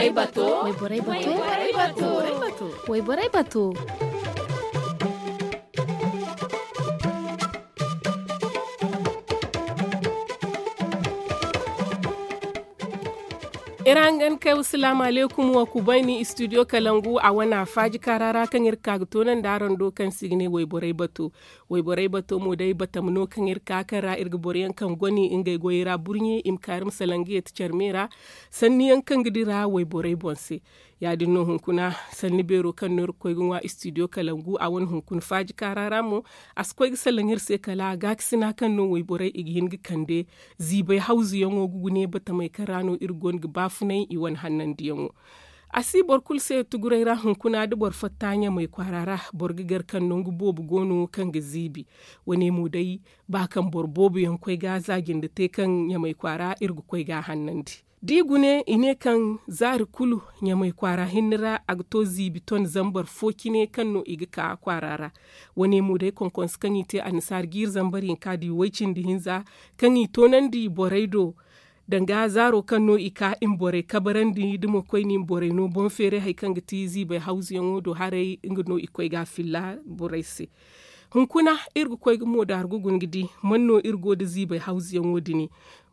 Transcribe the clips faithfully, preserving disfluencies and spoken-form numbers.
Wayborey bato. Wayborey bato. Wayborey bato. Iri hangan kay wa salaamu alaykum wa kubayni istudiyo kalangu a wane afaaji kaara ra kaŋ iri ga ka ga toonandi araŋ do kaŋ se i ga ne wayborey bato. Wayborey bato mo day batama no kaŋ iri ka kaŋ ra iri ga boro yaŋ kaŋ goni ngey goyey ra burɲe i ma ka iri ma salaŋ ga yeeti care me ra. Sanni yaŋ kaŋ ga dira wayborey boŋ se. Ya- din no hunkuna sanni beero kaŋ no iri ga koy ga ŋwa istudiyo kalangu a wane hunkuna faaji kaara ra mo. A si koy ga salaŋ iri se kala gaakasina kaŋ no wayborey i ga hin ga kande ziibay hawzuyaŋo ga gune batamey kaŋ ra no iri go no ga baafunay i wane hannandiyaŋo. A si boro kulu se tuguray ra hunkuna da boro fatta ɲamay kwaara ra. Boro ga gar kaŋ nangu boobo go no kaŋ ga ziibi. Wane mo day ba kaŋ boro boobo yaŋ koy ga za jinde te kaŋ ɲamay kwaara iri ga koy ga a hannandi. Da i gune i ne kaŋ zaari kulu ɲamay kwaara hinne ra a ga to ziibi ton zambar fo cine kaŋ no i ga ka kwaara ra. Wane mo day konkonse kaŋ i te annasaara jiiri zambar hinka da i way cindi hinza kaŋ i toonandi borey do. Danga zaaro kaŋ no i ka i ma borey kabarandi da mo koyne i ma borey no boŋ feeray hari kaŋ ga ti ziibay hawzuyaŋo do haray nga no i koy ga a filla borey se. Hunkuna iri ga koy ga moodaaru ga guna ga di man no iri go nda ziibay hawzuyaŋo din?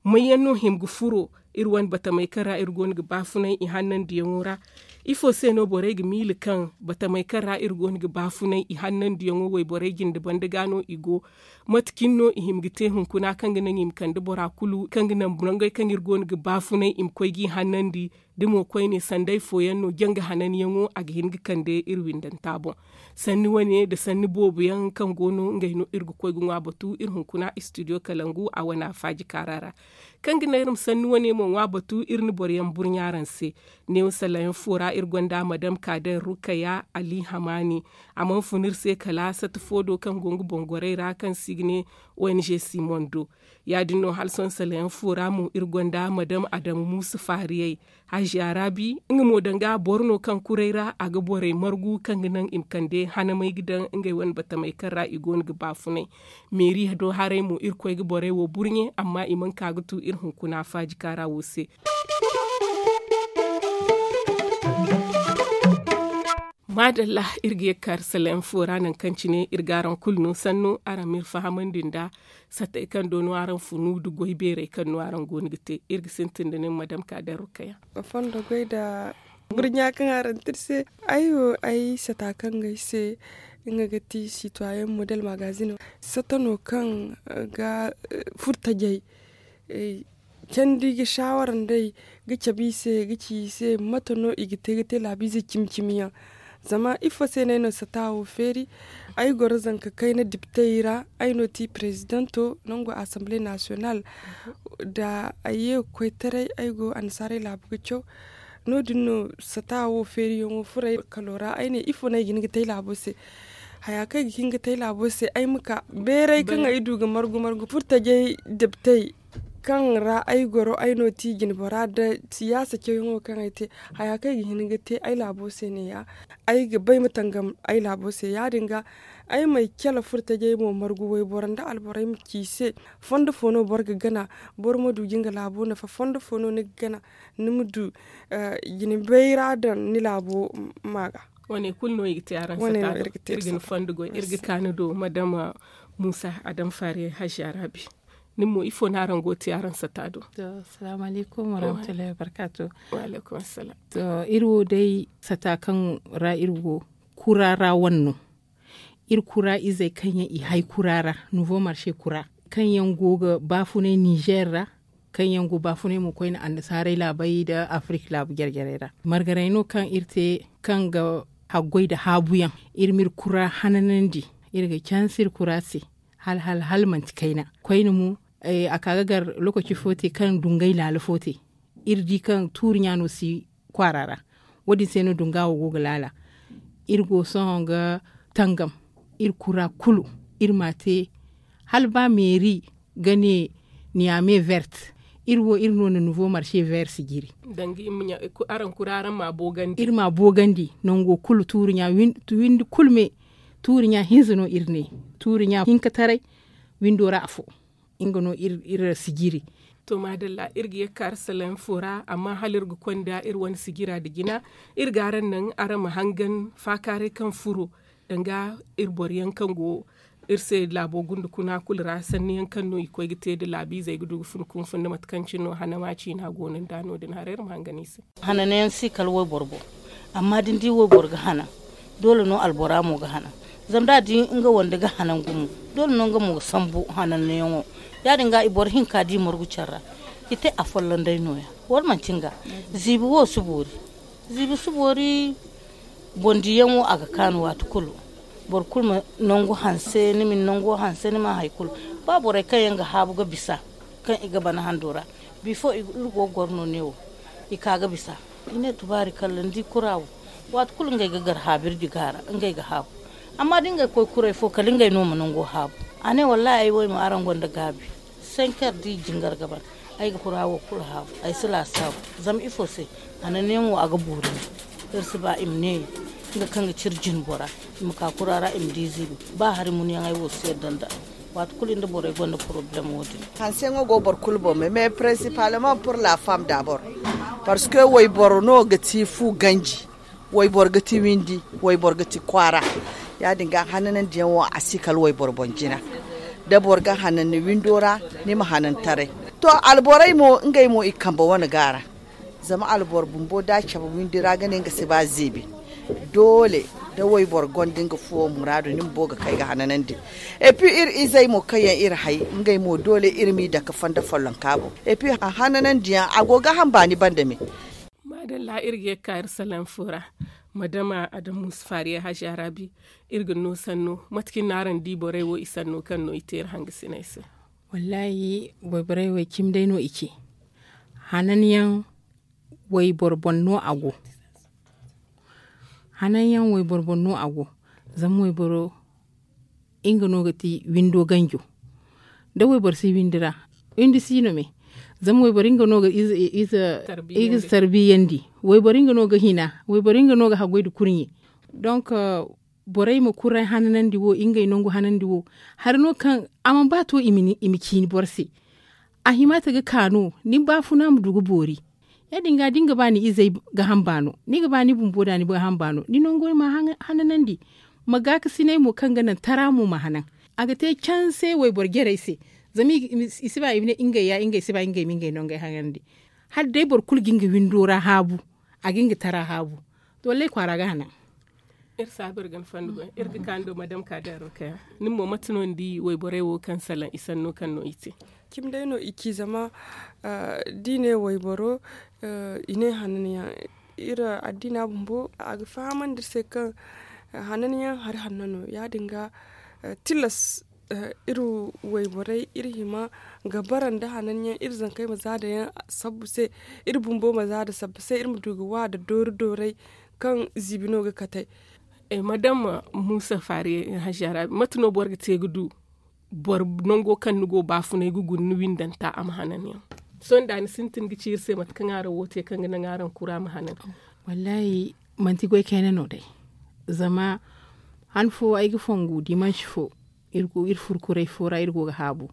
May yaŋ no hima ga furo iri wane batamey kaŋ ra iri go no ga baafunay i hannandiyaŋo ra? Ifo se no borey ga miila kaŋ batamey kaŋ ra iri go no ga baafunay i hannandiyaŋo wayborey jinde banda ga no i go? Mate cine no i hima ga te hunkuna kaŋ ga naŋ i ma kande bora kulu kaŋ ga naŋ nangey kaŋ iri go no ga baafunay i ma koy g'i hannandi? Da mo koyne sanday fooyaŋ no janga hananyaŋo a ga hin ga kande iri windanta boŋ. Sanni wane nda sanni boobo yaŋ kaŋ go no ngey no iri ga koy ga ŋwa batu iri hunkuna istudiyo kalangu a wane afaaji kaara ra. Kaŋ ga naŋ iri ma sanni wane mo ŋwa batu iri na boro yaŋ burɲa araŋ se. Neewo salaŋ yaŋ fo ra iri gonda madam kaader rukaya ali hamaani. A mana fun iri se kala sata fo do kaŋ go nga boŋ gorey ra kaŋ se i ga ne ong simon do. Ya- din no hala sohõ salaŋ yaŋ fo ra mo iri gonda madam adamu muusa faariyey. Haziya raabi nga mo danga boro no kaŋ kuray ra a ga borey margu kaŋ ga naŋ i ma kande hanamey ga daŋ ngey wane batamey kaŋ ra i go no ga baafunay. Meeri do haray mo iri koy ga borey wo burɲe amma i mana ka ga tu iri hunkuna faaji kaara wo se. Maadalla. Iri ga ye ga kaari salayaŋ fo ra nangu kaŋ cine iri ga araŋ kulu no sanno araŋ ma iri fahamandi nda satey kaŋ do no araŋ funu nda goy beerey kaŋ no araŋ go no ga te. Iri ga sintin da nin madam kaader rukaya. Fondo goy nda burɲa kaŋ araŋ te iri se. Ay wo ay sata kaŋ ga ay se nga ga ti sitwayen model magazino. Sata no kaŋ ga furtajey candi ga saawara nd'ey ga cabe i se ga ci i se mate no i ga te ga te laabiize cimi cimi yaŋ. Zama ifo se no ay na sata wo feeri? Ay goro zanka kayna diptey ra. Ay no ti prezidanto nangu asamble nasiyonal. Da ay ye ga koy taray ay go annasaarey laabu ga caw. No- din no sata wo feeriyaŋo furo ay kalo ra ay ne ifo no ay ga hin ga te ay laabo se? Haya kaŋ ay ga hin ga te ay laabo se ay ma ka beeray kaŋ ay du ga margu margu furtajey deptey kaŋ ra ay goro ay no ti jinbora nda siyaasa cawyaŋo kaŋ ay te. Haya kaŋ ay ga hin ga te ay laabo se ne- ya ay ga bay ma tangam ay laabo se ya- din ga ay ma ay cala furtajey mo margu wayboro nda alborey ma ci i se fondo fo no boro ga gana? Boro ma du ga nga laabo nafa fondo fo no ni ga gana ni ma du jine bayra daŋ ni laabo ma ga. Wane kulu no i ga te araŋ sata do iri ga ni fondo goy iri ga ka ni do madama muusa adam faari hazi arabi. Nin mo ifo no araŋ go ga te araŋ sata do? Salaamu alaykum warahmatullahi wabarkaatu. Wa alaykum assalam. To iri wo day sata kaŋ ra iri go kura ra wane no. Iri kura izey kaŋ yaŋ i hay kura ra nouveau marché kura kaŋ yaŋ go ga baafunay nizer ra kaŋ yaŋ go baafunay mo koyne annasaarey laabey nda afirik laabu jare jarey ra margaray no kaŋ iri te kaŋ ga haggoy nda haabuyaŋ. Iri m'iri kura hananandi iri ga canse iri kura se hala hala hala manti kayna. Koyne mo a ka ga gar lokaci fo te kaŋ dungay laala fo te iri di kaŋ tuuri ɲa no si kwaara ra. Wo- din se no dunga wo go ga laala. Iri go sohõ ga tangam iri kura kulu iri m'a te hala ba meeri ga ne niyame vert. Iri wo iri no na nouveau marché vert sijiri. Danga iri ma ɲa araŋ kura araŋ m'a boogandi iri m'a boogandi nango kulu tuuri ɲa windi kulu me tuuri ɲa hinza no iri ne tuuri ɲa hinkataray windo ra afo. Nga no iri sijiri To maadalla, iri ga ye ga ka arasalem fo ra, amma hala iri ga konda iri wane sijira nda jina, iri ga araŋ naŋ araŋ ma hangan faakaaray kaŋ furo, danga iri boro yaŋ kaŋ go iri se laabo gunda kuna kulu ra sanni yaŋ kaŋ no i koy ga te nda laabiizey ga du ga fun kunfun nda mate kaŋ cine no hanama ciina go no nda no- din haray iri ma hangan i se. Hananayaŋ si kala wayboro boŋ. Amma da ni di wayboro ga hanan, doole no albora mo ga hanan. Zama da a di nga wande ga hanan gumo, doole no nga mo ga sambu hananayaŋo. Ya- din ga i boro hinka di margu care ra, i te a folloŋ day no- ya. Wala manti nga? Ziibi wo si boori. Ziibi si boori. Boŋ diyaŋo a ga kaanu waati kulu. Boro kulu ma nangu hanse ni ma ni nango hanse ni ma hari kulu. Ba borey kaŋ yaŋ ga haabu ga bisa, kaŋ i ga bana hando ra, bifo iri go ga goro no neewo, i ka ga bisa. I ne tubaari kalla ni di kura wo, waati kulu ngey ga gar haabu iri di ga a ra. Ngey ga haabu. Amma da ngey koy kuray fo kala ngey no ma nango haabu. A ne wallaahi ay wo ay ma araŋ gonda gaabi. Senker da i jingar ga ban, ay ga kura wo kulu haabu. Ay si laasaabu. Zama ifo se? Hananayaŋo a ga boori no. Iri si ba i ma neeya, nga kaŋ ga cire jinbora, i ma ka kura ra i ma di ziibi. Ba hari munyaŋey wo si yadda nda. Waati kulu nda borey gonda porobalem wo- din. Hanseyaŋo go boro kulu boŋ me mais principalment pour la femme dabor. Parce que wayboro no ga ti fu ganji. Wayboro ga ti windi. Wayboro ga ti kwaara. Ya- din ga hananandiyaŋo a si kala wayboro boŋ jina. Da boro ga hanan ni windo ra, ni ma hanan taray. To, alborey mo ngey mo i kambe wane gaara. Zama alboro bumbo da a cabe windi ra ga ne nga si ba ziibi. Doole, da wayboro gonda nga fuwo muraadu ni bumbo ga kay ga hananandi. Et puis iri izey mo kaŋ yaŋ iri hay, ngey mo doole iri m'i dake fondo follonka boŋ. Et puis hananandiyaŋ a go ga ham baani banda me. Maadalla, iri ga ye ga ka iri salaŋ fo ra. Madama adamu musa faariya haja raabi, iri ga no sanno mate kaŋ no araŋ di borey wo i sanno kaŋ no i te iri hangasiney se? Wallaahi, wayborey wo cimi day no i ce. Hananyaŋ wayboro boŋ no a go. Hananyaŋ wayboro boŋ no a go. Zama wayboro nga no ga ti windo ganjo. Da wayboro si windi ra, windi si no me. Zama wayboro nga no ga ize tarbiyandi. Wayboro nga no ga hina. Wayboro nga no ga haggoy nda kurɲe. Donk, borey ma kuray hananandi wo, ngey nangu hanandi wo, hari no kaŋ a mana ba to i ma ciini boro se. A hima ta ga ka no ni baafuna ma du ga boori. Ya- din ga da ni ga ba ni izey ga hamba no, ni ga ba ni bumbo da ni ga hamba no, ni nango ma hananandi. Ma gaakasinay mo kaŋ ga naŋ tara mo ma hanan. A ga te canse wayboro jarey se. Zama i si ba i ma ne ngey ya ngey si ba ngey ma ngey nangey hanandi. Hala day boro kulu ga nga windo ra haabu, a ga nga tara haabu. To wallay kwaara ga hanan. Iri saabu iri ga ni fondo goy iri ga kaanu do madam kaadar rukaya. Nin mo mate no ni di wayborey wo kaŋ salaŋ i sanno kaŋ no i te? Cimi day no i ci zama da i ne wayboro i ne hananyaŋ. Iri addiina bumbo a ga fahamandi iri se kaŋ hananyaŋ hari hanno no. Ya- din ga tilas iri wayborey iri hima ga bara nda hananyaŋ iri zankey ma za da yaŋ sabbu se. Iri bumbo ma za da sabbu se iri ma du ga wa da doori doorey kaŋ ziibi no ga katey. Madam muusa faari haziya ra mate no boro ga te ga du boro nango kaŋ ni go baafunay ga guna ni windanta a ma hanan yaŋ? Sohõ da ni sintin ga ci iri se mate kaŋ araŋ wo te kaŋ ga naŋ araŋ kura ma hanan? Wallaahi, manti goy kayna no day. Zama han fo ay ga fongu dimansi fo, iri furo kuray fo ra iri go ga haabu.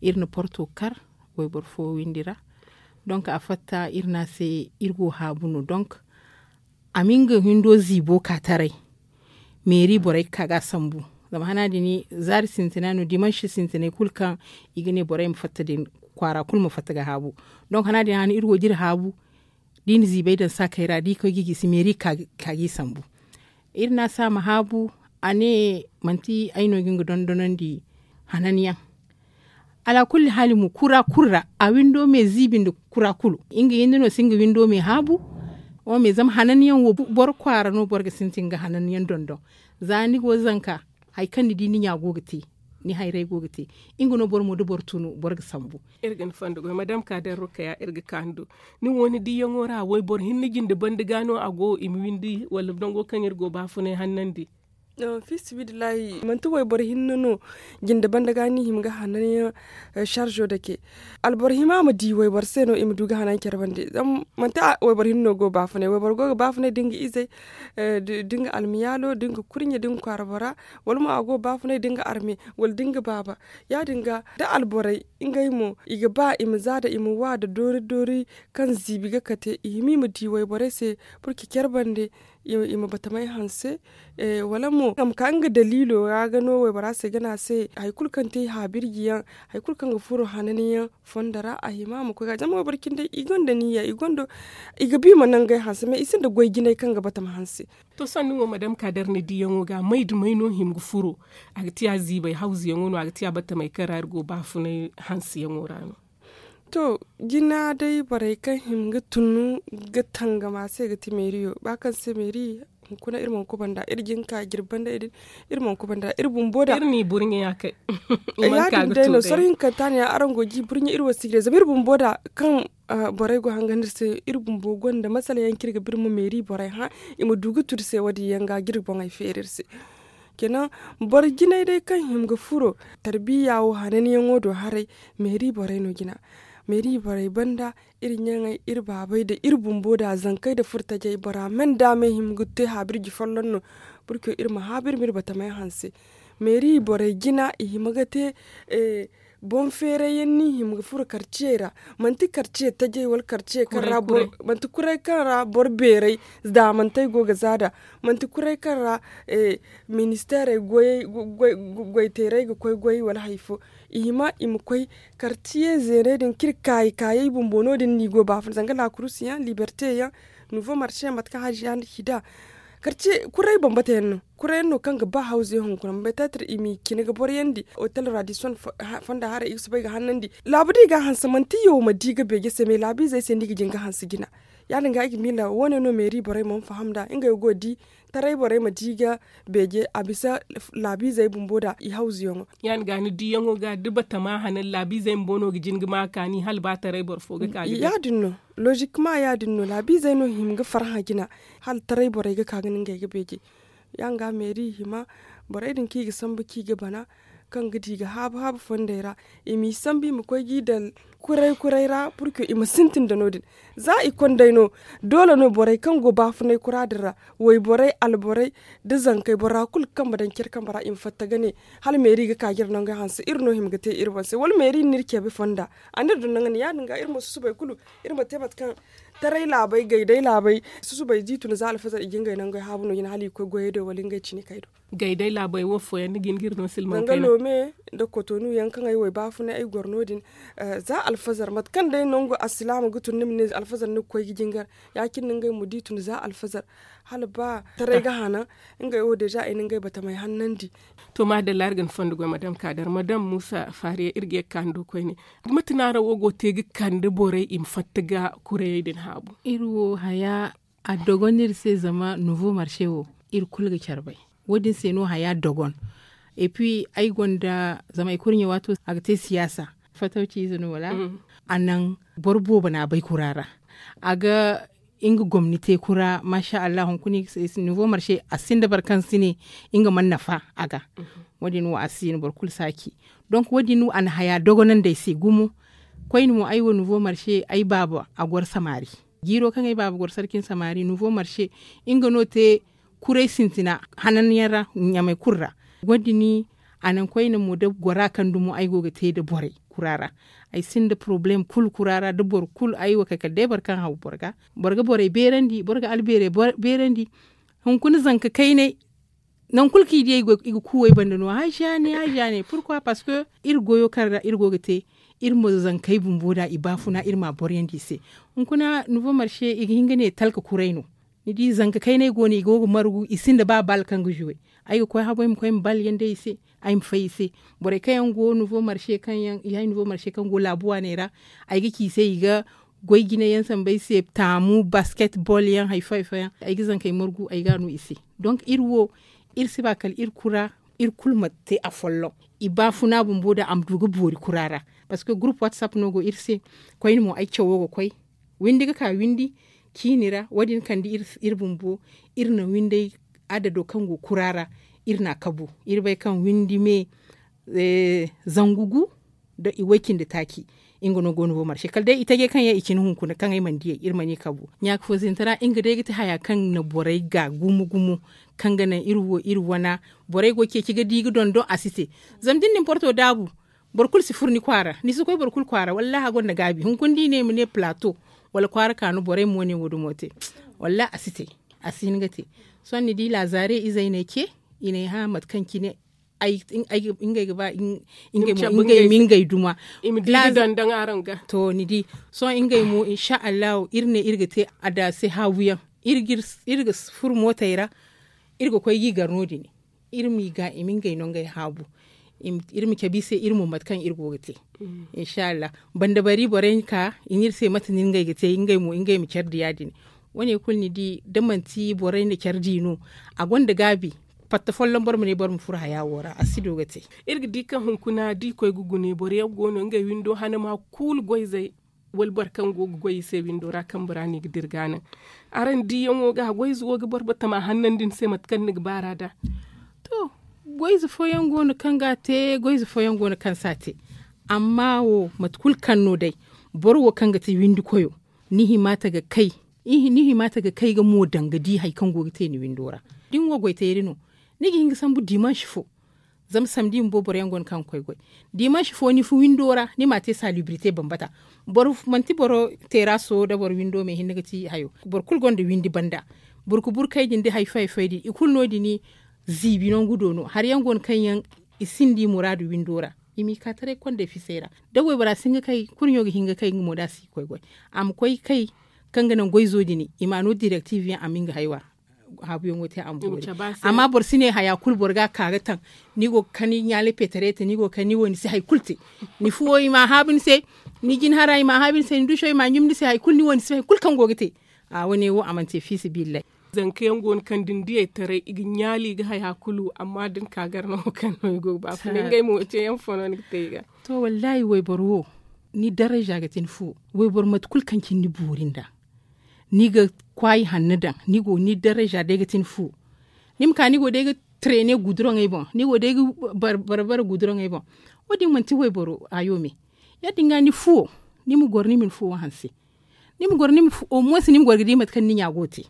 Iri na porto kar wayboro fo windi ra. Donk a fatta iri ne a se iri go haabu no donk. A ma nga hindo ziibo ka taray. Meeri borey ga ka ga a sambu. Zama hana din zaari sintina no dimansi sintinay kulu kaŋ i ga ne borey ma fatta din kwaara kulu ma fatta ga haabu. Donk hana din hana iri go ga iri haabu. Da i na ziibay daŋ saakey ra da i koy ga i gisi meeri ga ka ga i sambu. Iri ne a se a ma haabu. A ne manti ay no ga nga dondonandi hananyaŋ. Alaakulli haali mo kura kulu ra a windo me ziibi nda kura kulu. Nga yinde no si nga windo me haabu. Wo me zama hananyaŋ wo boro kwaara no boro ga sintin ga hananyaŋ dondon. Za ni go zanka hari kaŋ ni di ni ɲa go ga te, ni hayray go ga te. Nga no boro mo da boro tunu boro ga sambu. Iri ga ni fondo goy madam kaadar rukaya iri ga kaanu do. Nin wo ni diyaŋo ra wayboro hinne jinde banda ga no a go i ma windi wala nango kaŋ iri go baafunay hannandi? Fiisabilillahi manti wayboro hinne no. Jinde banda ga ni hima ga hanan yaŋ sarzo dake. Alboro hima ma di wayboro se no i ma du ga hanan care bande. Zama manti wayboro hinne no go ga baafunay wayboro go ga baafunay da nga izey, da nga almiyaalo da nga kurɲe da nga kwaara bora, wala mo a go ga baafunay da nga arme, wala da nga baaba. Ya- din ga da alborey ngey mo i ga ba i ma za da i ma wa da doori doori kaŋ ziibi ga kate i hima i ma di wayborey se. Purke care bande i ma batamey hanse. Wala mo a ma ka nga daliilo ra ga no waybora se ga ne a se hari kulu kaŋ te haabirji yaŋ, hari kulu kaŋ ga furo hanani yaŋ fondo ra a hima a ma koy ga zama wayboro cindi i gonda niya i gonda i ga ba i ma nangey hanse mais i sinda goy jinay kaŋ ga batama hanse. To sanni wo madam kaadar ni diyaŋo ga may da may no hima ga furo? A ga tiya ziibay hawzuyaŋo no a ga tiya batamey kaŋ ra iri go baafunay hanseyaŋo ra no. To jina day borey kaŋ hima ga tun ga tangam a se ga ti meeriyo ba kaŋ se meeri hunkuna iri mana kubanda iri jin ka jirbi banda iri din. Iri mana kubanda iri bumbo da iri n'i burɲe ya kay. Ya- din day no soro hinkanta ne ya araŋ go ga i burɲe iri wo si ga day zama iri bumbo da kaŋ borey go hangandi iri se iri bumbo gonda masala yaŋ kaŋ iri ga ba iri ma meeri borey hã i ma du ga tun iri se wo- din yaŋ ga ga iri boŋey feeri iri se. Kenan boro jinay day kaŋ hima ga furo tarbiya wo hananyaŋo do haray. Meeri borey no jina meeri borey banda iri ɲaŋey iri baabey nda iri bumbo nda zankey nda furtajey bora me nda me hima ga te haabirji folloŋ no. Burco iri ma haabu iri ma iri batamey hanse. Meeri borey jina i hima ga te boŋ feeray yaŋ no i hima ga furo karciyey ra. Manti karciye tajey wala karciye kaŋ ra boro manti kuray kaŋ ra boro beeray zaamantey go ga za nd'a. Manti kuray kaŋ ra ministeerey goyey goy teeray ga koy goy wala hari fo. I hima i ma koy karciye zeeney din kaŋ iri kaayi kaayey bumbo no- din no i go ga baafuna zanga laakurusi yaŋ liberte yaŋ, nuvo marse yaŋ mate kaŋ haaji yaŋ nda ci nd'a. Karciye kuray bambata yaŋ no kuray yaŋ no kaŋ ga ba hawzu yaŋ hunkuna ma bay teetir i m'i cine ga boro yaŋ di otel ra da i sohõ fonda haray i ga soobay ga hannandi. Laabu da i ga a hanse manti yaw ma di ga beeje se mais laabiizey se no i ga jin ga hanse jina. Ya- din ga ay ga miila wo- ne no meeri borey mana faham nd'a ngey wo go ga di taray borey ma di ga beeje a bisa laabiizey bumbo nd'a i hawzuyaŋo. Ya- din ga ni diyaŋo ga da batama hanan laabiizey bumbo no ga jin ga ma kaani hala ba taray boro fo ga ka ga ya- din no. Lozikma ya- din no laabiizey no hima ga farhã jina hala taray borey ga ka ga ne ngey ga beeje. Ya- din ga meeri hima borey din kaŋ i ga sambu kaŋ i ga bana kaŋ ga di ga haabu haabu fondey ra i m'i sambu i ma koy g'i daŋ kuray kuray ra purke i ma sintin nda no- din. Za i kondey no doole no borey kaŋ go baafunay kura din ra wayborey alborey nda zankey bora kulu kaŋ ma daŋ care kambe ra i ma fatta ga ne hala meeri ga ka ga iri nangey hanse iri no hima ga te iri boŋ se wala meeri n'iri ceebe fonda a n'iri daŋ naŋ ga ne ya- din ga iri ma susubay kulu iri ma te mate kaŋ taray laabey gay day laabey susubay da i tun za alfazar i ga ngey nangey haabu no jina hala i ga koy goyey do wala ngey cinikey do. Gay day laabey wo fooyaŋ ni ga hin ga iri no silmaŋ kayna. Loome nda kotonu yaŋ kaŋ ay wo ay baafunay ay goro no- din za alfazar mate kaŋ day nangu alsilaama ga tun ni ma ne alfazar ni ga koy ga jingar. Ya- cine no ngey mo da i tun za alfazar hala ba taray ga hana ngey wo deeza ay na ngey batamey hannandi. To maadalla iri ga ni fondo goy madam kaadar madam muusa faariya iri ga ye ga kaanu do koyne. Mate no araŋ wo go ga te ga kande borey i ma fatta ga kurayey din haabu? Iri wo haya a dogon no iri se zama nuvo marse wo iri kulu ga care bay. Wo- din se no haya dogon. Et puis ay gonda zama ay kurɲe waato a ga te siyaasa fatawci ize no wala? A naŋ boro boobo no a bay kura ra. A ga nga gomni te kura maasa allah hunkuna nivo marse a sinda boro kaŋ si ne nga mana nafa a ga. Wo- din wo a si no boro kulu si a ci. Donc wo- din a na haya dogonandi ay se gumo. Koyne mo ay wo nivo marse ay baaba a goro samari. Jiiro kaŋ ay baaba goro sarkin samari nivo marse nga no te kuray sintina hanan yaŋ ra ɲamay kulu ra. Wo- din a naŋ koyne mo da gora kaŋ dumo ay go ga te nda borey kura ra. Ay sinda porobalem kulu kura ra da boro kulu ay wo kay kala day boro kaŋ haw boro ga. Boro ga borey beerandi boro ga albeerey beerandi. Hunkuna zanka kaynay nangu kulu kaŋ i di ay i ga kuuway banda no haaziya ne haaziya ne purkwa parceque iri goyo kaŋ ra iri go ga te iri ma zankey bumbo nd'a i baafuna iri m'a boryandi i se. Hunkuna nivo marse i ga hin ga ne talka kuray no. Ni di zanka kaynay go no i go ga margu i sinda ba bal kaŋ ga zuwe. Ay ga koy habo ay ma koy ma bal yaŋ day i se. Ay ma fay i se. Borey kaŋ yaŋ go nivo marse kaŋ yaŋ i hay nivo marse kaŋ go laabu waaney ra. Ay ga ci i se i ga goy jine yaŋ sambu ay se taamu basket bol yaŋ hari fo hari fo yaŋ ay ga zankey margu ay ga a no i se. Donc iri wo iri si ba kala iri kura iri kulu ma te afolloŋ. I baafuna bumbo nd'a a ma du ga boori kura ra. Parceque gurup whatsapp no go iri se. Koyne mo ay cawo ga koy windi ga ka windi ciini ra wo- din kande iri bumbo. Iri na windey adado kaŋ go kura ra. iri n'a kabu. Iri bay kaŋ windi me zangu gu nda i way cindi taaci. Nga no go no wo marse kala day i taje kaŋ yaŋ i cine hunkuna kaŋ ay mana diyey iri mana i kabu ɲaaka fo zintara nga day ga ti haya kaŋ na borey ga gumo gumo kaŋ ga naŋ iri wo iri wana. Borey go ceeci ga di ga dondoŋ a si te. Zama da ni na ni porto daabu boro kulu si furo ni kwaara ni si koy boro kulu kwaara wallaahi a gonda gaabi hunkuna da i ne i ma ne palaato wala kwaara kaanu borey ma wane wo dumo te. Wallaahi a si te. A si hin ga te. Sohõ ni di laazaare izey n'ay ce i n'ay hã mate kaŋ cine ngey ga ba ngey ma ngey duma. To ni di sohõ ngey mo insa allahu iri ne iri ga te adda se haabu yaŋ. Iri ga furo mootey ra iri ga koy ga i gar no- din iri m'i ga i ma ngey no ngey haabu. Iri ma cabe i se iri mo mate kaŋ iri go ga te. Insa allahu banda bari borey ka i ne iri se mate no ngey ga te ngey mo ngey ma care di ya- din. Wane kulu ni di da manti borey na care di no a gonda gaabi. Fatta folloŋ boro ma ne boro ma furo haya wo ra a si du ga te. Iri ga di kaŋ hunkuna da i koy ga gune boro yaŋ go no ngey windo hanama kulu goyzey wala boro kaŋ go ga goy i se windo ra kambe ra no i ga dira ga naŋ. Araŋ diyaŋo ga goyze wo ga boro batama hannandi ni se mate kaŋ ni ga baar'a nd'a. To goyze fooyaŋ go no kaŋ ga a te goyze fooyaŋ go no kaŋ si a te. Amma wo mate kulu kaŋ no day boro wo kaŋ ga te windi koyo ni hima ta ga kay ni hima ta ga kay ga mo daŋ ga di hari kaŋ go ga te ni windo ra. Da ni wo goy teeri no ni ga hin ga sambu dimansi fo. Zama samdi bumbo boro yaŋ go no kaŋ ga koy goy dimansi fo ni fo windo ra ni m'a te salibrite bambata. Manti boro teeraso nda boro windo me hinne ga ti hayo. Boro kulu gonda windi banda burku burkey din nda hari fo hari fo din i kulu no- din. Ziibi nangu do no hari yaŋ go no kaŋ yaŋ i sinda i muraadu windo ra. I m'i ka taray kondey fisey ra da waybora si hin ga kay kurɲo ga hin ga kay nga mo da a si ga koy goy. A ma koy kay kaŋ ga naŋ goyzo din i ma a no direktif yaŋ a ma nga haywa. Haabuyaŋo te a ma boori. Amma boro si ne haya kulu boro ga a ka ga taŋ. Ni go ga kani ɲaalay peterete ni go ga kani ni wo ni si hari kulu te. Ni fuwo i m'a haabu ni se. Ni jinhara i m'a haabu ni se ni duso i m'a ɲumbu ni se hari kulu ni wo ni si hari kulu kaŋ go ga te. A wane wo a mana te fiisabilillahi. Zanka yaŋ go no kaŋ da ni diyey taray i ga ɲaali i ga haya kulu amma da ni ka gar no wo kaŋ no i go ga baafunay ngey mo ceeyaŋ fo no ni ga te i ga. To wallaahi wayboro wo ni darayza ga ti ni fu. Wayboro mate kulu kaŋ cine ni boori nd'a ni ga kwaayi hanno daŋ ni go ni darayza day ga ti ni fu. Ni ma ka ni go day ga treene guduroŋey boŋ ni go day ga barbara guduroŋey boŋ. Wo- din manti wayboro haayo me. Ya- din ga ni fuwo ni ma goro ni ma ni fuwo hanse. Ni ma goro ni ma fu omoos ni ma goro ga di mate kaŋ ni ɲa go ga te.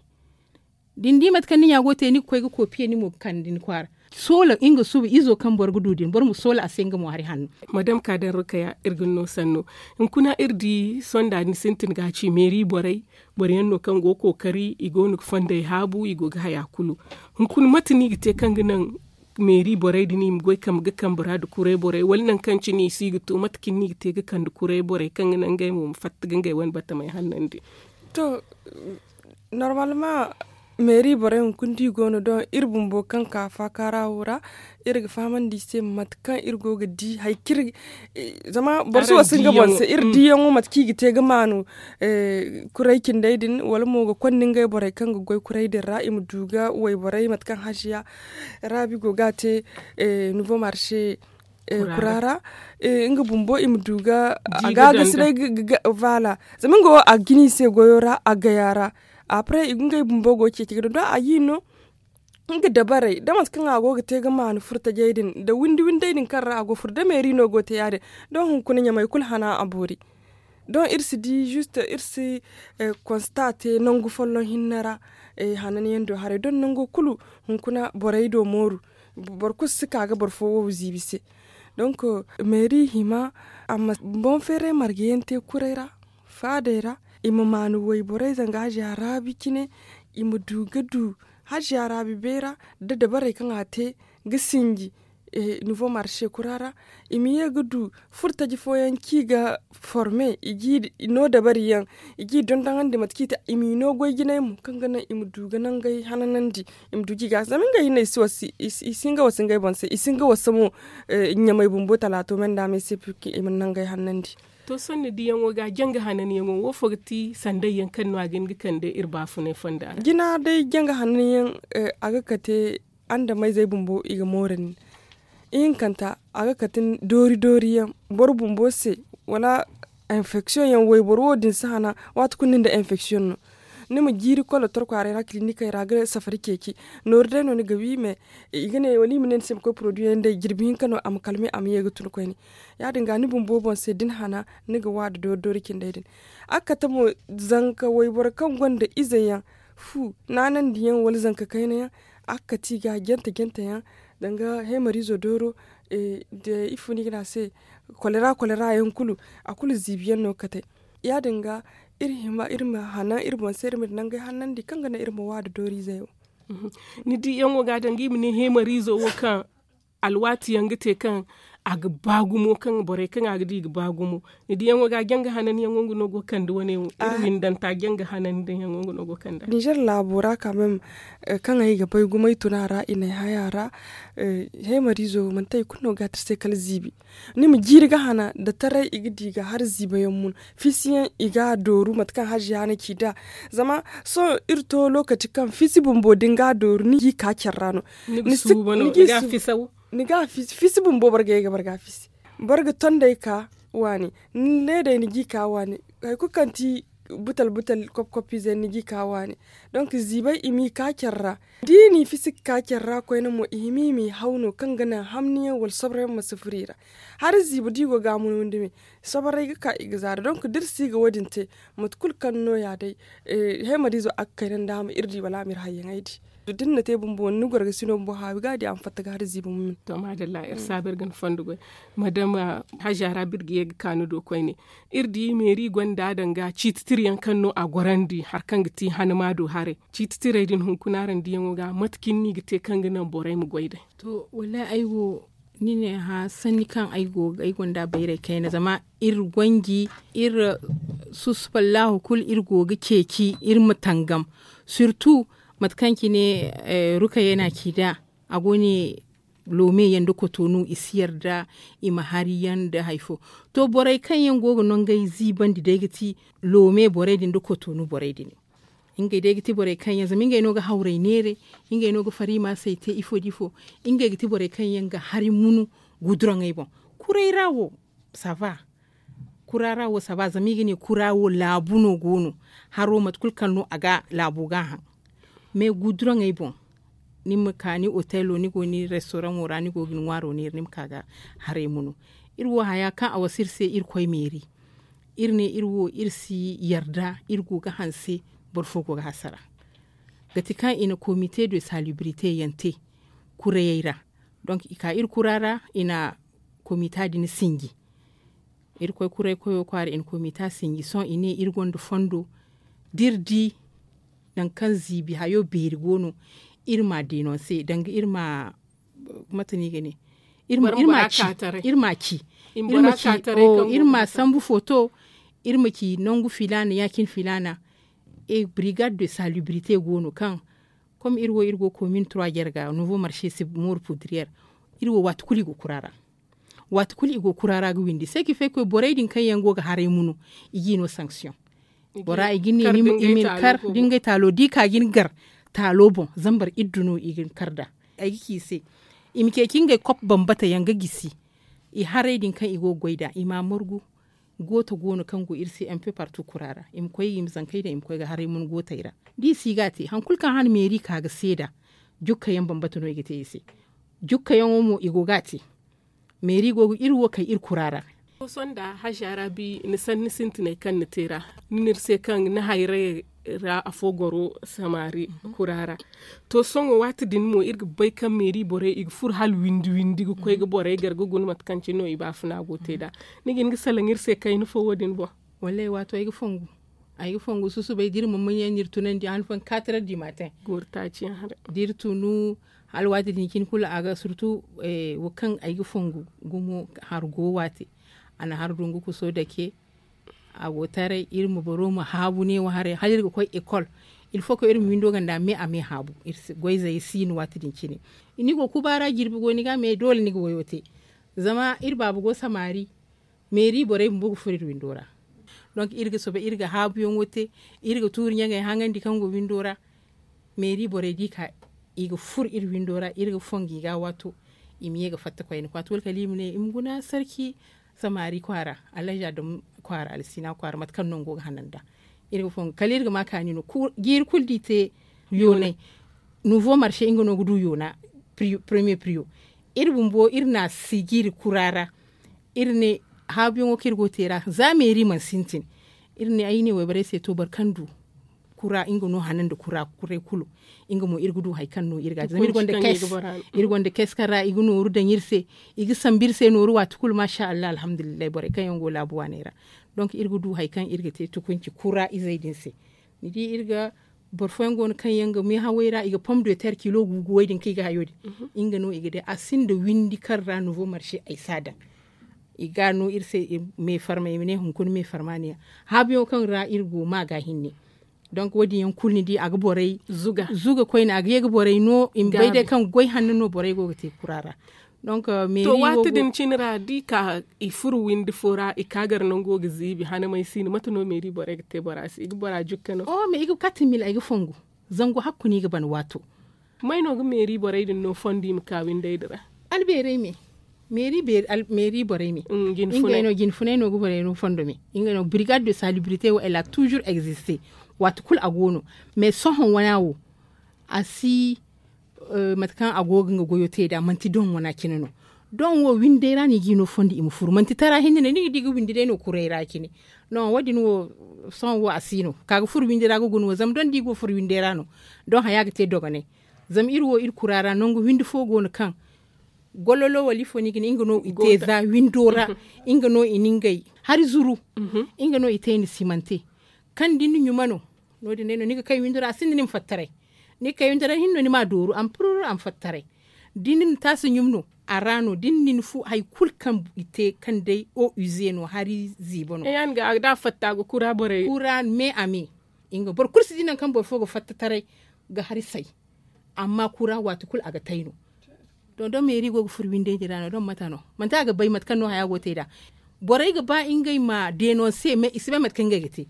Da ni di mate kaŋ ni ɲa go ga te ni ga koy ga koopiye ni mo ga kande ni kwaara. Soola nga suba izo kaŋ boro ga du din boro ma soola a se nga mo hari hanno. Madam kaadan rukaya iri ga ni no sanno. Hunkuna iri di sonda ni sintin ga a ci meeri borey boro yaŋ no kaŋ go ga kookari i go no ga fondey haabu i go ga haya kulu. Hunkuna mate no i ga te kaŋ ga naŋ meeri borey din i ma goy kambe ga kambe ra nda kuray borey wala nangu kaŋ cine i si ga to mate cine no i ga te ga kande kuray borey kaŋ ga naŋ ngey mo ma fatta ga ngey wane batamey hannandi? To normalement meeri borey hunkuna da i go no doŋ iri bumbo kaŋ ka faakaara wo ra. Iri ga fahamandi i se mate kaŋ iri go ga di hari kaŋ iri zama boro si wasu nga boŋ se iri diyaŋo mate kaŋ i ga te ga maanu kuray cindey din wala mo ga konda ngey borey kaŋ ga goy kuray din ra i ma du ga wayborey mate kaŋ haziya raabi go ga a te nouveau marché kura ra. Nga bumbo i ma du ga a ga gasi day. Vaala zama nga wo a ga jina i se goyo ra a gaya ra. Après ngey bumbo go ga ceeci ga dondon a ga i no nga dabarey da mate kaŋ a go ga te ga maanu furtajey din nda windi windey din kaŋ ra a go furo da meeri no go ga te ya- din. Doŋ hunkuna ɲamey kulu hana a boori. Doŋ iri si di juste iri si konsta te nangu folloŋ hinne ra. Hananyaŋ do haray doŋ nango kulu hunkuna borey do mooru. Boro kulu si ka ga boro fo wo ziibi se. Donk meeri hima a ma boŋ feeray marga yaŋ te kuray ra faadey ra i ma maanu wayborey zanga haziya raabi cine. I ma du ga du haziya raabi beera da dabarey kaŋ a te ga sinji nouveau marché kura ra. I ma ye ga du furtaji fooyaŋ kaŋ i ga forme i ga i no dabari yaŋ i ga i dondoŋandi mate kaŋ i te i m'i no goy jinay mo kaŋ ga naŋ i ma du ga nangey hananandi. I ma du ga i gaasi zama ngey hinne i si wasu i si hin ga wasu ngey boŋ se i si hin ga wasu mo. Ɲamey bumbo talaato me nda me se purki i ma nangey hananandi. To sohõ ni diyaŋo ga janga hananyaŋo wo fo ga ti sanday yaŋ kaŋ no a ga hin ga kande iri baafunay fonda ra? Jina day janga hananyaŋ a ga kate andameyzey bumbo i ga mooru nin. Ihinkanta a ga kate doori doori yaŋ boro bumbo se wala infection yaŋ wayboro wo- din si hana waati kulu nin da infection no. Ni ma jiiri kolo torkwaaray ra kilinikey ra ga safari ceeci. Nooru day no ni ga wi me. I ga ne wala i ma ne ni se ma koy poroduyaŋ day jirbi hinka no a ma kalme a ma ye ga tun koyne. Ya- din ga ni bumbo boŋ se da ni hana ni ga wa nda doori doori cindey din. A ga kate mo zanka wayboro kaŋ gonda ize yaŋ fu naanandiyaŋ wala zanka kayna yaŋ. A ga kate i ga jante jante yaŋ danga hemariizo dooro. Nda ifo no i ga ne a se, kolera kolera yaŋ kulu a kulu ziibi yaŋ no ga kate. Ya- din ga iri hima iri ma hanan iri boŋ se iri ma di nangey hanandi kaŋ ga naŋ iri ma wa nda dooriizey wo. Ni di yaŋo ga danga i ma ne hemariizo wo kaŋ alwaati yaŋ ga te kaŋ a ga ba gumo kaŋ borey kaŋ a ga di i ga ba gumo. Ni di yaŋo ga janga hanan yaŋo nga no go kande wane wo iri windanta janga hanan yaŋo nga no go kande. Ninzeer laabo ra ka meme kaŋ ay ga bay gumo ay tun a ra i na ay hay a ra. Hemariizo manti hari kulu no ga a te se kala ziibi. Ni ma jiiri ga hana nda taray i ga di ga hari ziiba yaŋ mun. Fisi yaŋ i ga a dooru mate kaŋ haziya na ci nd'a. Zama sohõ iri to lookaci kaŋ fisi bumbo da ni ga a dooru ni ga i ka care ra no. Ni ga a fisi bumbo boro ga ye ga boro ga a fisi. Boro ga tondey ka waani, ni leedey ni ga i ka waani. Hari kulu kaŋ ti butal butal koppi koppiizey ni ga i ka waani. Donk ziibey i m'i ka care ra. Da i n'i fisi ga ka care ra koyne mo i hima i m'i haw no kaŋ ga naŋ hamni yaŋ wala sobro yaŋ ma si furo i ra. Hari ziibi da i go ga a mun windi me, soborey ga ka i ga zaara donk da iri si ga wo- din te, mate kulu kaŋ no- ya day. Hemariizo a ga kayna nda a ma iri di wala a ma iri hayyaŋey di. Da ni na te bumbo ni gorgasino bumbo haawi ga a di a ma fatta ga hari ziibi ma min. To maadalla iri saabu iri ga ni fondo goy. Madama haziya ra birgiye ga ka ni do koyne. Iri di meeri gonda danga ciiti tira yaŋ kaŋ no a gorandi hari kaŋ ga ti hanama do haray. Ciiti tirey din hunkuna araŋ diyaŋo ga mate cine no i ga te kaŋ ga naŋ borey ma goy day? To wallahi ay wo ni ne hã sanni kaŋ ay go ga ay gonda bayray kayna zama iri gonji iri susuballahu kulu iri go ga ceeci iri ma tangam. Sirtu mate kaŋ cine rukayey na ci nd'a a go ne loome yaŋ nda kotonu i si yarda i ma hari yaŋ nda hari fo. To borey kaŋ yaŋ go ga nangey ziibandi day ga ti loome borey din nda kotonu borey din. Ngey day ga ti borey kaŋ yaŋ zama ngey no ga hawrey neere, ngey no ga fariima se i te ifo nda ifo. Ngey ga ti borey kaŋ yaŋ ga hari munu guduraŋey boŋ. Kuray ra wo sava kura ra wo sava zama i ga ne kura wo laabu no go no. Haro mate kulu kaŋ no a ga laabo ga a haŋ. Mais guduraŋey boŋ ni ma ka ni otelo ni go ni restoraŋo ra ni go ga ni ŋwaaro neera ni ma ka ga haray munu. Iri wo haya kaŋ a wasa iri se irkoy meeri. Iri ne iri wo iri si yarda iri go ga hanse boro fo go ga hasara. Ga ti kaŋ i na komite de salubrite yaŋ te kurayey ra. Donk i ka iri kura ra i na komita din sinji. Iri koy kuray koyo kwaara i na komita sinji sohõ i ne iri gonda fondo da iri di nangu kaŋ ziibi hayo beeri go no iri m'a denonse danga iri ma mate no i ga ne iri ma ci iri ma ci iri ma sambu foto. Iri ma ci nangu filaana ya- cine filaana. Brigade de salubrite go no kaŋ comme iri wo iri go komin trois jarga nouveau marché si mooru pudrière. Iri wo waati kulu i go kura ra waati kulu i go kura ra ga windi se ka fay koy borey din kaŋ yaŋ go ga haray munu i g'i no sanction. Bora i ga ne i ma ni kar da ngey taalo da i ka ga ni gar taalo boŋ zambar iddu no i ga ni kar nd'a. Ay ga ci i se i ma ceeci ngey kop bambata yaŋ ga gisi i haray din kaŋ i go ga goy nd'a i m'a margu. Gooto go no kaŋ go iri se mp partu kura ra i ma koy i ma zankey daŋ i ma koy ga haray mun gootey ra. Da i si ga a te hari kulu kaŋ hana meeri ka ga seeda jukka yaŋ bambata no i ga te i se. Jukka yaŋo mo i go ga a te. Meeri go ga iri wo kay iri kura ra. Sohõ nda hazi arabi ni sanni sintinay kaŋ ni te ra ni n'iri se kaŋ ni hayray ra afo goro samari kura ra. To sohõ waati din mo iri ga bay kaŋ meeri borey i ga furo hala windi windi ga koy ga borey gar ga guna mate kaŋ cine no i baafuna go te nd'a. Ni ga hin ga salaŋ iri se kayna fo wo- din boŋ? Wallaahi waato ay ga fongu. Ay ga fongu susubay da iri ma muɲ yaŋ no iri tunandi han fooyaŋ kaatarar di matin. Goori taaci yaŋ haray da iri tunu hala waati din cine kulu a ga surtu. Wo kaŋ ay ga fongu gumo hari go waati a na hari dungu kuso dake. A go taray iri ma boro ma haabu ne wo haray hala iri ga koy ekol. Ilfo kaŋ iri ma windo ganda me a me haabu. Goyzey si no waati din cine ni go kuba ra jirbi go ni ga me doole ni ga wayo te. Zama iri baaba go samari meeri borey bumbo ga furo iri windo ra. Donk iri ga soobay iri ga haabuyaŋo te iri ga tuuri ɲaŋey haŋandi kaŋ go windo ra. Meeri borey da i ka i ga furo iri windo ra iri ga fongu i ga a waato. I ma ye ga fatta koyne kwaati wala kala i ma ne i ma guna sarki samari kwaara alhazi adam kwaara alsiina kwaara mate kaŋ no nga go ga hanan nd'a. Iri ga fongu kala iri ga ma kaani no jiiri kulu da i te yoonay. Nouveau marché nga no ga du yoona premier prio. Iri bumbo iri na a si jiiri kura ra. Iri ne haabuyaŋo kaŋ iri go ga te ra za meeri mana sintin. Iri ne ay ne wayborey se to boro kaŋ du kura nga no hanan nda kura kuray kulu. Nga mo iri ga du hari kaŋ no iri ga a te zama iri gonda kes kaŋ ra i ga nooru daŋ iri se. I ga sambu iri se nooru waati kulu maasa allah alhamdulillahi borey kaŋ yaŋ go laabu waaney ra. Donk iri ga du hari kaŋ iri ga te tukunci kura izey din se. Ni di iri ga boro fooyaŋ go no kaŋ yaŋ ga meehawey ra i ga pom de ter kilo guuguwey din kaŋ i ga hayo din. Nga no i ga day a sinda windi kaŋ ra nouveau marché ay si a daŋ. I ga a no iri se. Meefarma i ma ne hunkuna meefarma ne ya haabuyaŋo kaŋ ra iri go ma ga hinne. Donk wo- din yaŋ kulu ni di a ga borey zuga koyne a ga ye ga borey no i ma bay day kaŋ goy hanno no borey go ga te kura ra. Donk to waati din cine ra da i ka i furo windi fo ra i ka gar nango ga ziibi hanamay si no mate no meeri borey ga te bora se i ga bora jukka no? O me i ga kate mil ay ga fongu. Zangu hakku no i ga ban waato. May no ga meeri borey din no fondo i ma ka windey din ra? Albeerey me meeri borey me. Ngey no jine funay no ga borey no fondo me. Ngey no brigade de salubrité wo elle a toujours existe. Waati kulu a go no. Mais sohõ wana wo a si mate kaŋ a go ga nga goyo te nd'a manti doŋ wana cine no. Doŋ wo windey ra no i ga i no fondo i ma furu manti tara hinne no ni ga di ga windi day no kuray ra cine. Non wo- din wo sohõ wo a si no ka ga furu windi ra ga guna wo zama doŋ da i go ga furu windey ra no. Doŋ haya ga te dogonay. Zama iri wo iri kura ra nangu windi fo go no kaŋ gololo wala ifo no i ga ne nga no i te za windo ra. Nga no i na ngey hari zuru. Nga no i te i na simante kaŋ da ni na ɲuma no. No- din day no ni ga kay windo ra a sinda ni ma fattaray. Ni ga kay windo ra hinne no ni ma a dooru a ma fururu a ma fattaray. Da ni na taasi ɲum no a ra no da ni na ni fu hari kulu kaŋ i te kaŋ day o ize no hari ziibo no. Da a fatta ga kura borey kura me a me. Nga boro kulu si di nangu kaŋ boro fo ga fatta taray ga hari say. Amma kura waati kulu a ga tay no. Doŋ doŋ meeri go ga furo windey din ra no doŋ mate no manti a ga bay mate kaŋ no haya go ga te nd'a. Borey ga ba ngey ma denonse mais i si bay mate kaŋ ngey ga te.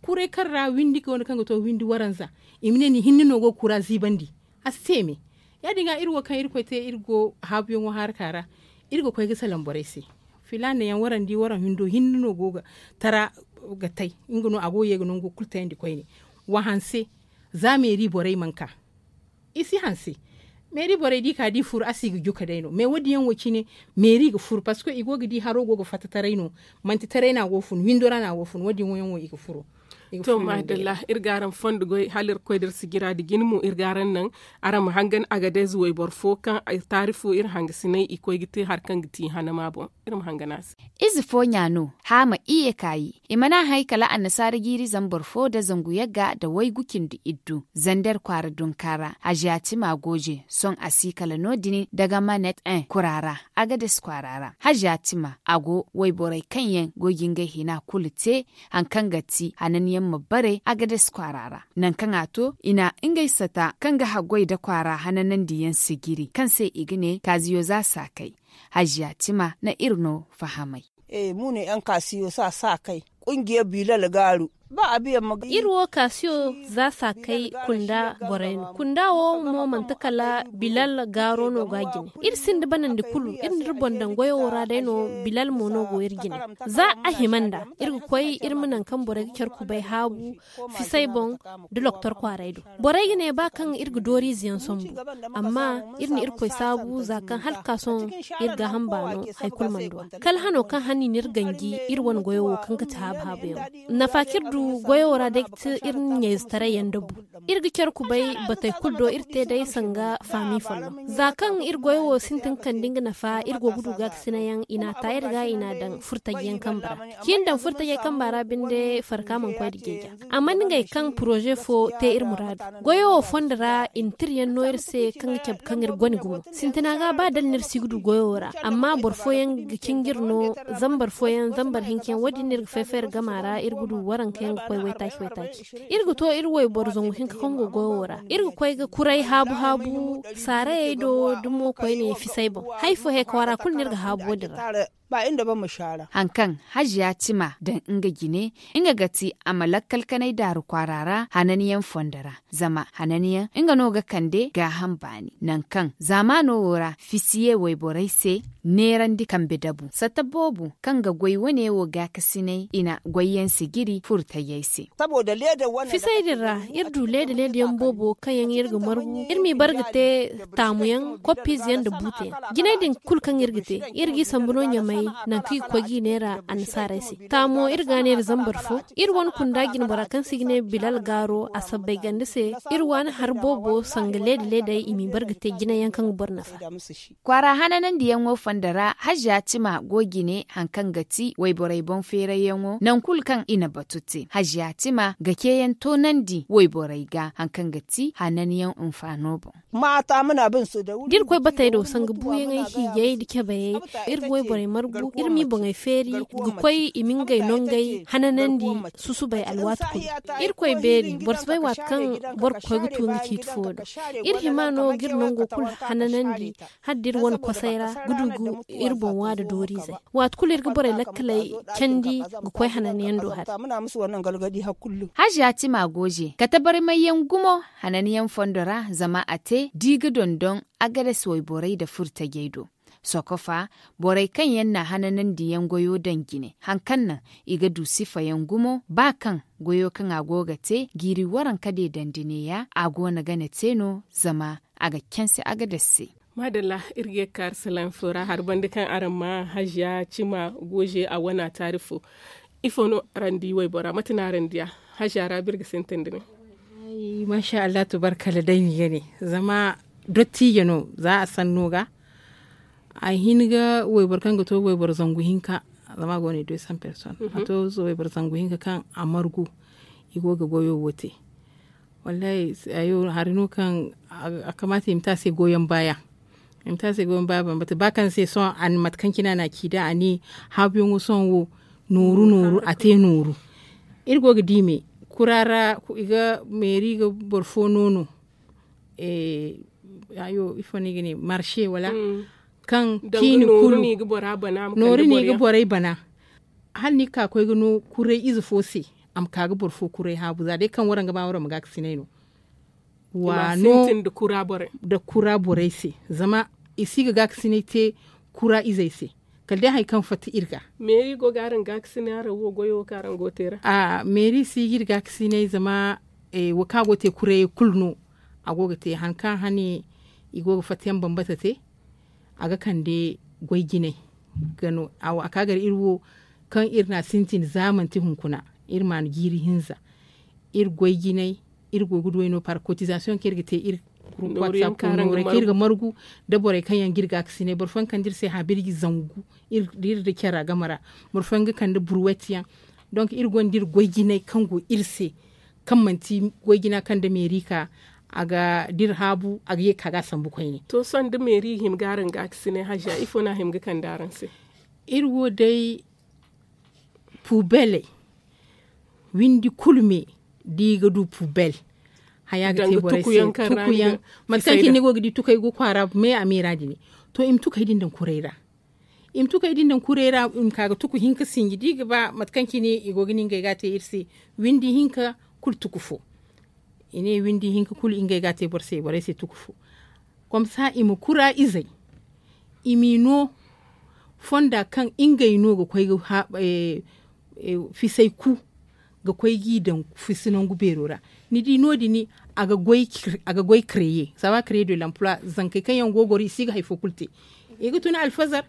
Kuray kaŋ ra windi go no kaŋ ga to windi waranza. I ma ne ni hinne no go ga kura ziibandi. A si te me. Ya- din ga iri wo kaŋ irkoy te iri go haabuyaŋo haraka ra. Iri ga koy ga salaŋ borey se. Filaana yaŋ waraŋ di waraŋ windo hinne no go ga tara ga tay. Nga no a go ga ye ga nango kulu tayandi koyne. Wa hanse za meeri borey mana ka. I si hanse. Meeri borey da i ka da i furu a si ga juka day no mais wo- din yaŋ wo cine. Meeri ga furu parceque i go ga di haro go ga fatta taray no. Manti taray no a go ga fun windo ra no a go ga fun wo- din yaŋ wo i ga furu. To maadalla. Iri ga araŋ fondo goy hala iri ga koy da iri sijira nda jine mo iri ga araŋ naŋ. Araŋ ma hangan agadez wayboro fo kaŋ taarifo iri hangasinay i koy ga te hari kaŋ ga ti hanama boŋ. Iri ma hangan a se. Ize fo ɲa no haama iyye kaayi. I mana a hay kala annasaara jiiri zambar fo nda zangu yagga nda waygu cindi iddu zander kwaara dunka ra hajiya tima gooje sohõ a si kala no- din daga manet en kura ra. Agades kwaara ra hajiya tima a go wayborey kaŋ yaŋ go ga ngey hina kulu te. Hari kaŋ ga ti hanan yaŋ ma bare agades kwaara ra nangu kaŋ a to i na ngey sata kaŋ ga haggoy nda kwaara hananandi yaŋ sijiri kaŋ se i ga ne kaaziyo za saakay. Hajiya tima na iri no fahamay. Mune yaŋ kaasiyo sa saakay kungiya bilal gaaru. Iri wo kaasiyo za saakay kunda borey no kunda wo mo manti kala bilal gaaro no go a jine. Iri sinda banandi kulu iri na iri boŋ daŋ goyo wo ra day no. Bilal mo no go iri jine. Za a hima nd'a iri ga koy iri ma nangu kaŋ borey ga care kubay haabu fisay boŋ nda loktor kwaaray do. Borey ga ne ba kaŋ iri ga dooriize yaŋ sambu. Amma iri na irkoy saabu za kaŋ hala ga ka sohõ iri gaaham baano hari kulu mana du a kala hano kaŋ hane i na iri ganji iri wane goyo wo kaŋ ga ti haabu haabu yaŋo. Nafa kaŋ iri du goyo wo ra day ga ti iri na ɲayzetaray yaŋ dabu. Iri ga care kubay batey kulu do iri te day sanga faami folloŋ za kaŋ iri goyo wo sintin kande nga nafa iri go ga du gaakasina yaŋ i n'a ta iri ga i n'a daŋ furtaji yaŋ kambe ra. Kaŋ i na daŋ furtajey kamba ra binde farka mana koy nda jeeja. Amma nda ngey kaŋ poroze fo te iri muraadu goyo wo fondo ra i na tira yaŋ no iri se kaŋ ga cabe kaŋ iri gone gumo. Sintina ga ba dala no iri si ga du goyo wo ra amma boro fooyaŋ ga cinji iri no. Zambar fooyaŋ zambar hinka yaŋ wo- din no iri ga fay fay iri gama ra iri ga du waranka yaŋ ga koy waytaaci waytaaci. Iri ga to iri wayboro zangu hinka kaŋ go goyo wo ra iri ga koy ga kuray haabu haabu saarayey do dumo koyne fisay boŋ. Hari fo he kwaara kulu no iri ga haabu wo- din ra. Hari kaŋ haziya cima daŋ nga jine, nga ga ti a ma lakkal kanay daaru kwaara ra hananyaŋ fondo ra. Zama hananyaŋ nga no ga kande gaaham baani nangu kaŋ zaamaano wo ra fisiye wayborey se, neerandi kambe dabu satta boobo kaŋ ga goy wane wo gaakasinay i na goyyaŋ sijiri furtayey se. Fisay din ra, iri du leeda leeda yaŋ boobo kaŋ yaŋ iri ga margu. Iri m'i bar ga te taamu yaŋ koppiize yaŋ nda buute yaŋ. Jinay din kulu kaŋ iri ga te, iri g'i sambu no ɲamay, nangu kaŋ i ga koy g'i neera annasaarey se. Taamo iri ga a neera zambar fo. Iri wane kunda jinbora kaŋ se i ga ne bilal gaaro a sabbay ganda se. Iri waani hari boobo sanga leeda leedey i m'i bar ga te jinay yaŋ kaŋ ga boro nafa. Kwaara hananandiyaŋo fondo ra haziya cima go jine hari kaŋ ga ti wayborey boŋ feerayyaŋo nangu kulu kaŋ i na batu te haziya cima ga ceeyaŋ toonandi wayborey ga hari kaŋ ga ti hananyaŋ hinfaano boŋ. Da iri koy batey do sanga buuyaŋey hiijay nda cabayey, iri ga wayborey margu iri m'i boŋey feeri ga koy i ma ngey nongey hananandi. Susubay alwaati kulu iri koy beeri boro si bay waati kaŋ boro ga koy ga tu nga ciiti fo do. Iri hima no ga iri nango kulu hananandi hala da iri wane kosay ra ga du ga iri boŋ waada dooriizey. Waati kulu iri ga borey lakkaley candi ga koy hananyaŋ do hari. Haziya tima gooje kate barmayyaŋ gumo hananyaŋ fondo ra zama a te da i ga dondon agades wayborey nda furtajey do. Sokofa borey kaŋ yaŋ na hananandiyaŋ goyo daŋ jine hari kaŋ naŋ i ga du sifayaŋ gumo ba kaŋ goyo kaŋ a go ga te jiiri waranka deedandi neeya a go no gane te no zama a ga canse agades se. Maadalla. Iri ga ye ga ka arasalaaŋ fo ra hari banda kaŋ araŋ ma haziya cima gooze a wana taari fo. Ifo no araŋ di waybora mate no araŋ diya? Haziya ra ba iri ga sintin da ne. Maasa allah tubarkalla day ni ga ne zama dottijo no za a sanno ga a hin ga wayboro kaŋ ga to wayboro zangu hinka zama a go no i do i san person a to wayboro zangu hinka kaŋ a margu i go ga goyo wo te. Wallahi hari no kaŋ a kamaata i ma te a se goyon baaya. I ma te a se goyon baaya bambata ba kaŋ se sohõ a na mate kaŋ cine a na a ci da a ne haabuyaŋo sohõ wo nooru nooru a te nooru. Iri go ga di me kura ra i ga meeri ga boro fo no no. Ifo no i ga ne marse wala kaŋ ciini kulu nooru no i ga borey bana. Hala ni ga ka ga koy ga no kuray ize fo se a ma ka ga boro fo kuray haabu za day kaŋ waraŋ ga ba waraŋ ma gaakasinay no. Waano nda kura borey se zama i si ga gaakasinay te kura izey se kala day hari kaŋ fatta iri ga. Meeri go ga araŋ gaakasinay araŋ wo goyo wo kaŋ araŋ go ga te ra. Meeri si ga iri gaakasinay zama wo kaŋ a go ga te kurayey kulu no. A go ga te hari kaŋ hane i go ga fatta yaŋ bambata te a ga kande goy jinay ga no a ka gar iri wo kaŋ iri na a sintin za manti hunkuna iri ma a na jiiri hinza. Iri goy jinay iri go ga duway no par kotizasiyoŋ kaŋ iri ga te iri kurkwati saako nooray kaŋ iri ga margu nda borey kaŋ yaŋ ga iri gaakasinay boro fooyaŋ kande iri se habirji zangu iri da care game ra. Boro fooyaŋ ga kande burwet yaŋ. Donk iri gonda iri goy jinay kaŋ go iri se kaŋ manti goy jina kaŋ da meeri ka a ga da iri haabu a ga ye ga ka ga a sambu koyne. To sohõ da meeri hima ga araŋ gaakasinay haza ifo no a hima ga kande araŋ se? Iri wo day pubeley windi kulu me da i ga du pubel haya ga te borey se tukuyaŋ. Mate kaŋ cine ni go ga di tukey go kwaara me a meera din. To i ma tukey din daŋ kuray ra i ma tukey din daŋ kuray ra i ma ka ga tuku hinka sinji da i ga ba mate kaŋ cine i go ga ne ngey ga a te iri se. Windi hinka kulu tuku fo i ne windi hinka kulu ngey ga a te boro se borey se tuku fo. Komsa i ma kura izey i m'i no fonda kaŋ ngey no ga koy ga fisay ku ga koy g'i daŋ fisi nangu beero ra. Ni di no- din a ga goy kreye saba kreye de lampula zankey kaŋ yaŋ go goro i si ga hari fo kulu te. I ga tun alfazar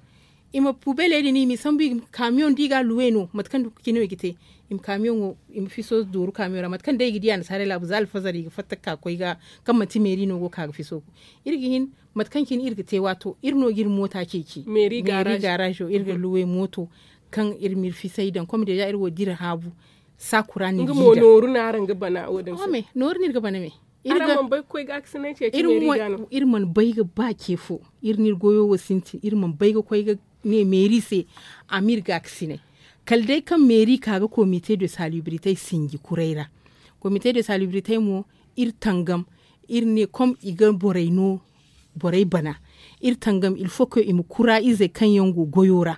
i ma pubeley din i m'i sambu i ma kamiyoŋ da i ga a luwe no mate kaŋ cine no i ga te. I ma kamiyoŋo i ma fiso dooru kamiyoŋ ra mate kaŋ day i ga di annasaarey laabu za alfazar i ga fatta ga ka ga koy ga kaŋ manti meeri no go ga ka ga fiso. Iri ga hin mate kaŋ cine iri ga te waato iri no ga iri moota ceeci meeri gaarazo iri ga luwe mooto kaŋ iri ma iri fisay daŋ kom deeza iri wo da iri haabu. Saakura no iri ga bana wo- din se nooru no iri ga bana me. Iri mana bay ga ba ce fo iri no iri goyo wo sintin iri mana bay ga koy ga ne meeri se. A ma iri gaakasinay kala day kaŋ meeri ka ga komite de salibiritey sinji kuray ra. Komite de salibiritey mo iri tangam iri ne kom i ga borey no borey bana. Iri tangam ilfoko i ma kura izey kaŋ yaŋ go goyo ra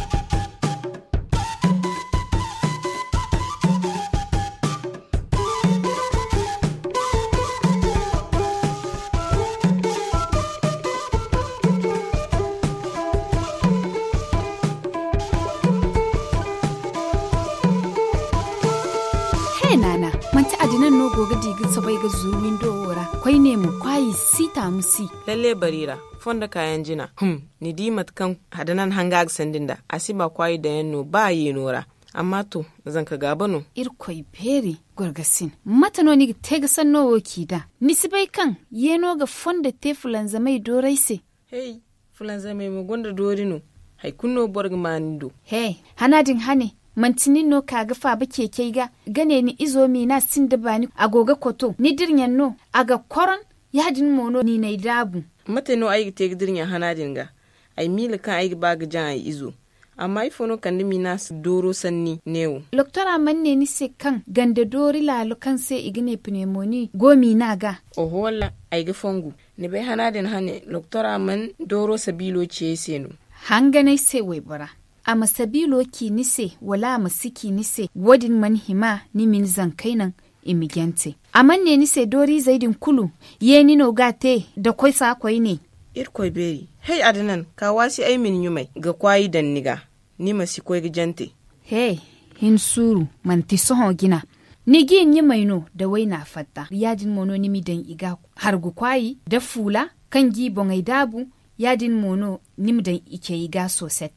He naana, manti adinan no go ga di ga soobay ga zuru windo wo ra? Koyne mo kwaayi si taamu si. Lalle bari ra, fondo kaayaŋ jina. Hum. Ni di mate kaŋ hadanan hanga ga sandi nd'a, a si ba kwaayi daŋ yaŋ no ba yeeno ra. Amma to, zanka gaaba no. Irkoy beeri, gorgasin, mate no ni ga te ga sanno wo k'i da? Ni si bay kaŋ yeeno ga fondo te fulanzamey doorey se? Hey, fulanzamey mo gonda doori no. Hari kulu no boro ga ma ni do. He, hana din hane, manti nin no ka ga faaba ceecey ga, ga ne ni izo miina sinda baani a go ga koto ni dirɲaŋ no? A ga koron. Ya-din mo no ni n'ay daabu. Mate no ay ga te ga dira ɲa hana din ga? Ay miila kaŋ ay ga ba ga jaŋ ay izo. Amma ifo no kande miina dooro sanni neewo? Loktora mana ne ni se kaŋ ganda doori laalo kaŋ se i ga ne pinemoni go miina ga? Oho walla, ay ga fongu. Ni bay hana din hane loktora mana dooro sabiilo ci ay se no? Hanganay se waybora. A ma sabiilo ci ni se wala a ma si ci ni se, wo-din mana hima ni ma ni zankey naŋ i ma jante. A mana ne ni se dooriizey din kulu, yeeni no ga a te da koy saakoy ne? Irkoy beeri, hay adanan ka waasi ay ma ni ɲumay ga kwaayi daŋ ni ga, ni ma si koy ga jante. He, hin suuru, manti sohõ jina. Ni g'i ɲumay no da wayna fatta, ya-din mo no ni m'i daŋ i ga hargu kwaayi da fuula kaŋ g'i boŋey daabu. Ya-din mo no ni ma daŋ i ce i ga sooset.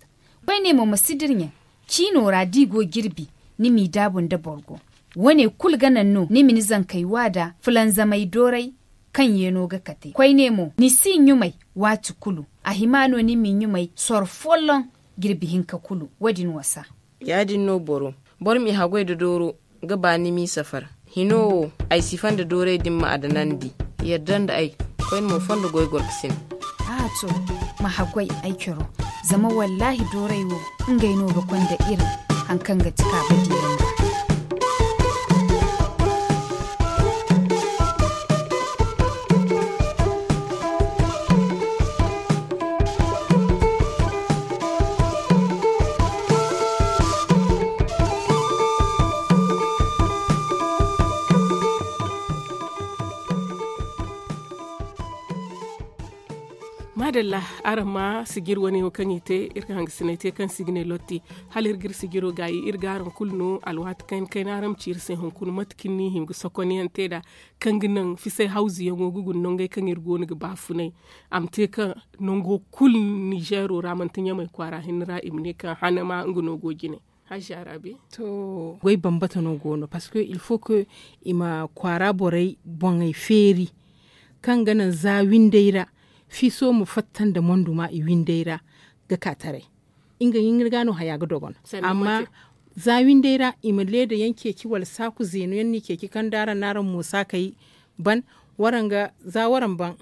Koyne mo ma si dira ɲaŋ ciino ra d'i go jirbi, ni m'i daabu nda borgo. Wo-ne kulu ga naŋ no ni ma ni zankey wa da fulanzamey doorey kaŋ yeeno ga kate. Koyne mo ni s'i ɲumay waati kulu. A hima no ni m'i ɲumay soro folloŋ jirbi hinka kulu. Wo-din wasa. Ya-din no boro, boro m'i haggoy nda dooro ga ba ni m'i safar. Hino wo, ay si fanda doorey din ma adanandi. Yadda nda ay, koyne mo fondo goy gorkasin. A to, ma haggoy ay coro. Zama wallaahi doorey wo, ngey no ga konda iri haŋ kaŋ ga ti kaaba diyaŋ ga. Maadalla, araŋ ma sijir wane wo kaŋ i te iri ka hangasinay te kaŋ si ga ne lotti. Hala iri ga iri sijiro gaayi iri ga araŋ kulu no alwaati kayna kayna araŋ ma ci iri se hunkuna mate kaŋ ni hima ga sokonyaŋ te nd'a, kaŋ ga naŋ fisay hawzuyaŋo ga guna nangey kaŋ iri go no ga baafunay. A ma te kaŋ nango kulu nizeero ra manti ɲamay kwaara hinne ra i ma ne kaŋ hane ma nga no go jine. Hajja rabi. To, goy bambata no go no parce que il faut que i ma kwaara borey boŋey feeri, kaŋ ga naŋ za windey ra fiiso ma fatta nda monduma i windey ra, ga ka taray. Nga hinne ga no haya ga dogon. Amma za windey ra i ma leeda yaŋ ceeci wala saaku zeenu yaŋ no i ceeci kaŋ da araŋ no araŋ mo saakey ban, waraŋ ga za waraŋ ban,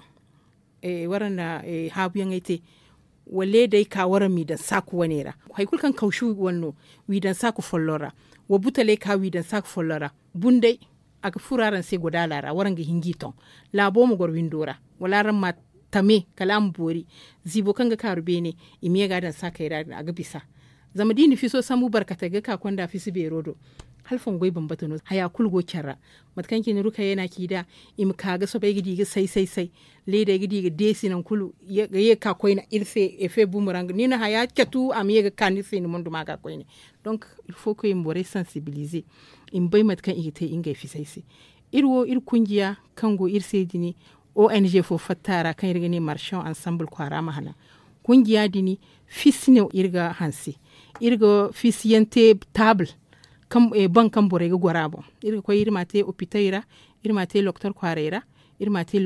waraŋ na haabuyaŋey te, wala day ka waraŋ m'i daŋ saaku wane ra. Hari kulu kaŋ kawsu wane no, w'i daŋ saaku folloŋ ra. Wa butaley ka w'i daŋ saaku folloŋ ra. Bunday, a ga furo araŋ se godaala ra waraŋ ga hin g'i toŋ. Laabo ma goro windo ra, wala araŋ ma tame kala a ma boori. Ziibo kaŋ ga kaaru beene, i ma ye ga a daŋ saakey ra din a ga bisa. Zama da i na fiso sambu barkatey ga ka konda fisi beero do, hala fongoy bambata no haya kulu go care ra. Mate kaŋ cine rukayey no a ci nd'a, i ma ka ga soobay ga di ga say say say. Leedey ga di ga deesi nangu kulu ga ye ga ka koyne iri se efe bumarang ni na haya catu a ma ye ga ka ni se ni monduma ga koyne. Donk, il faut que i ma borey sansibiliize, i ma bay mate kaŋ i ga te ngey fisay se. Iri wo iri kunjiya kaŋ go iri se din, ong fo fatta a ra kaŋ iri ga ne marchand ensemble kwaara ma hana. Kunjiya din, fisi no iri ga hanse. Iri ga fisiyaŋ te taabul, baŋ kaŋ borey ga goro a boŋ. Iri ga koy iri m'a te opitey ra, iri m'a te loktor kwaarey ra, iri m'a te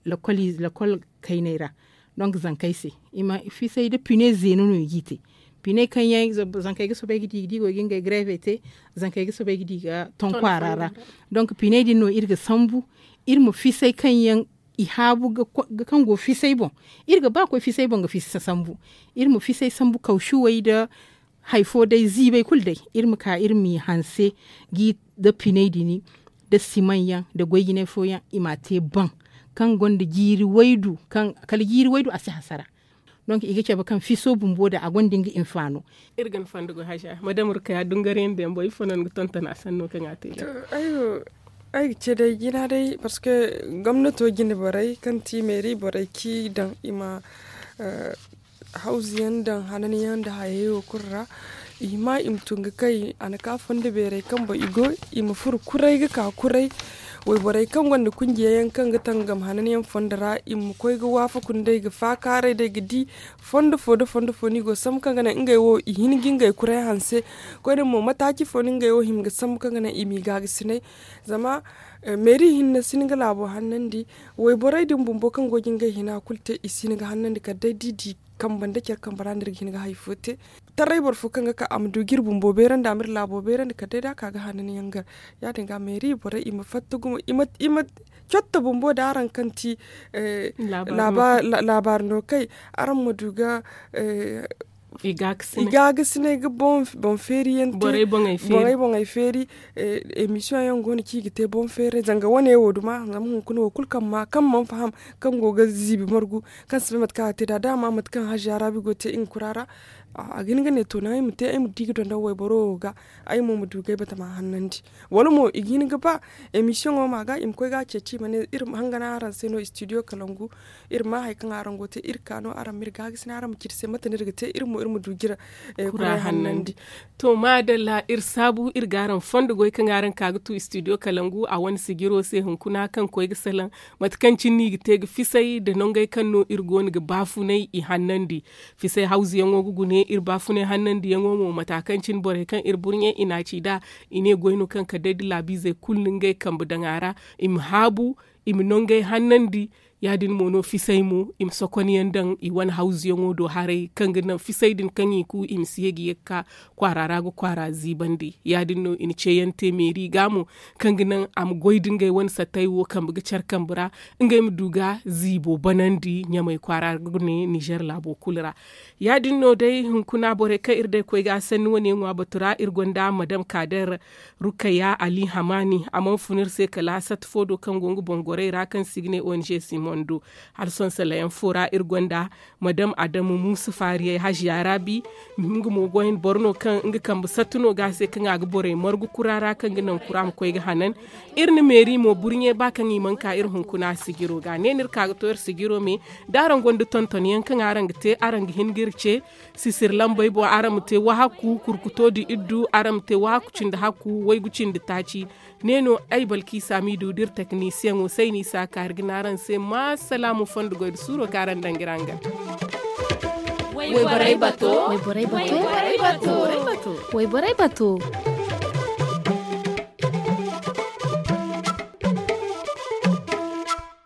lokol kayney ra. Donk zankey se, i ma fisay nda pine zeeno no i g'i te. Pine kaŋ yaŋ zankey ga soobay ga di ga di go ga ngey gareefey te. Zankey ga soobay ga di ga ton kwaara ra. Donk piney din no iri ga sambu, iri ma fisay kaŋ yaŋ i haabu ga kaŋ go fisay boŋ. Iri ga ba koy fisay boŋ ga fisa sambu. Iri ma fisay sambu kawshuwey nda hari fo day ziibay kulu day, iri ma ka iri m'i hanse, nda piney din, nda simaŋ yaŋ nda goy jinay fooyaŋ i m'a te baŋ, kaŋ gonda jiiri waydu, kala jiiri waydu a si hasara. Donk i ga cabe kaŋ fiso bumbo da a gonda nga hinfaano. Iri ga ni fondo go haja madam rukaya dungarayandi yaŋ boŋ ifo no ni ga tonton a sanno kaŋ a te day? Ay ga ce day jina day parceque gomnato jine borey kaŋ ti meeri borey kaŋ i daŋ i ma hawzu yaŋ daŋ hanani yaŋ nda hayey wo kulu ra. I hima i ma tun ga kay a na ka fondo beerey kaŋ boŋ i go, i ma furo kuray ga ka kuray. Wayborey kaŋ gonda kunjiya yaŋ kaŋ ga tangam hanani yaŋ fondo ra i ma koy ga waafaku nd'ey ga faakaaray day ga di fondo fo nda fondo fo no i go sambu kaŋ ga naŋ ngey wo i hin ga ngey kuray hanse. Koyne mo mataaci fo no ngey wo hima ga sambu kaŋ ga naŋ i m'i gaagasinay? Zama meeri hinne si hin ga laabo hannandi. Wayborey din bumbo kaŋ go ga ngey hina kulu te i si hin ga hannandi kala day da i di kambe nda care kambe ra no iri ga hin ga hari fo te. Taray boro fo kaŋ ga ka a ma du ga iri bumbo beerandi a ma iri laabo beerandi kala day da a ka ga hanani yaŋ gar. Ya- din ga meeri borey i ma fatta gumo i ma cotta bumbo nda araŋ kaŋ ti laabaari no kay, araŋ ma du ga i gaagasinay ga boŋ feeri yaŋ te. Borey boŋey feeri. Emisiyoŋ yaŋ go no kaŋ i ga te boŋ feeray zanga wane wo duma zama hunkuna wo kulu kaŋ mana faham, kaŋ go ga ziibi margu, kaŋ si bay mate kaŋ a ga te nd'a da a ma mate kaŋ haziya raabi go ga te nga kura ra. A ga hin ga ne to naŋ ay ma te ay ma di ga donda wayboro wo ga, ay mo ma du ga ay batama hannandi. Wala mo i ga hin ga ba emisiyoŋo ma ga i ma koy ga a ceeci i ma ne iri ma hangana araŋ se no istidiyo kalangu. Iri ma hari kaŋ araŋ go ga te iri ka no araŋ ma iri gaagasinay araŋ ma ci iri se mate no iri ga te iri mo iri ma du ga iri kuray hannandi. To maadalla iri saabu iri ga araŋ fondo goy kaŋ araŋ ka ga tu istidiyo kalangu a wane sijiro se hunkuna kaŋ koy ga salaŋ, mate kaŋ cine no i ga te ga fisay nda nangey kaŋ no iri go no ga baafunay i hannandi. Fisay hawzuyaŋo ga gune iri baafunay hannandiyaŋo mo mata kaŋ cine borey kaŋ iri burɲe i n'a ci nd'a. I ne goy no kaŋ kala day da laabiizey kulu na ngey kambe daŋ a ra, i ma haabu, i ma nangey hannandi. Ya- din mo no fisay mo i ma sokonyaŋ daŋ i wane hawzuyaŋo do haray kaŋ ga naŋ fisay din kaŋ i ku i ma si ye ga ye ga ka kwaara ra ga kwaara ziibandi. Ya- din no i na ceeyaŋ te meeri ga mo, kaŋ ga naŋ a ma goy da ngey wane sattey wo kambe ga care kambe ra, ngey ma du ga ziibo banandi ɲamey kwaara ga ne nizer laabo kulu ra. Ya- din no day hunkuna borey kaŋ iri day koy ga a sanni wane ŋwa batu ra iri gonda madam kaader, rukaya ali hamaani a mana fun iri se kala sat fo do kaŋ go nga boŋ gorey ra kaŋ se i ga ne ong simon. Hala sohõ salayaŋ fo ra iri gonda madam adamu muusa faariyey haziya raabi. Nga mo goy boro no kaŋ nga kambe sattu no ga a se kaŋ a ga borey margu kura ra kaŋ ga naŋ kura ma koy ga hanan. Iri na meeri mo burɲe ba kaŋ i mana ka iri hunkuna sijiro ga ne no iri ka ga to iri sijiro me. Da araŋ gonda tonton yaŋ kaŋ araŋ ga te araŋ ga hin ga iri ce. Sisir lambey boŋ araŋ ma te wahakku kurkuto nda iddu araŋ ma te wahakku cindi hakku waygu cindi taaci. Ne no ay balkiisa miidu da iri teknisiyaŋo sayni isa kaari ga ne araŋ se ma salaamu fondo goy nda suuro kaŋ araŋ daŋ ga iri hangan. Wayborey bato. Wayborey bato. Wayborey bato.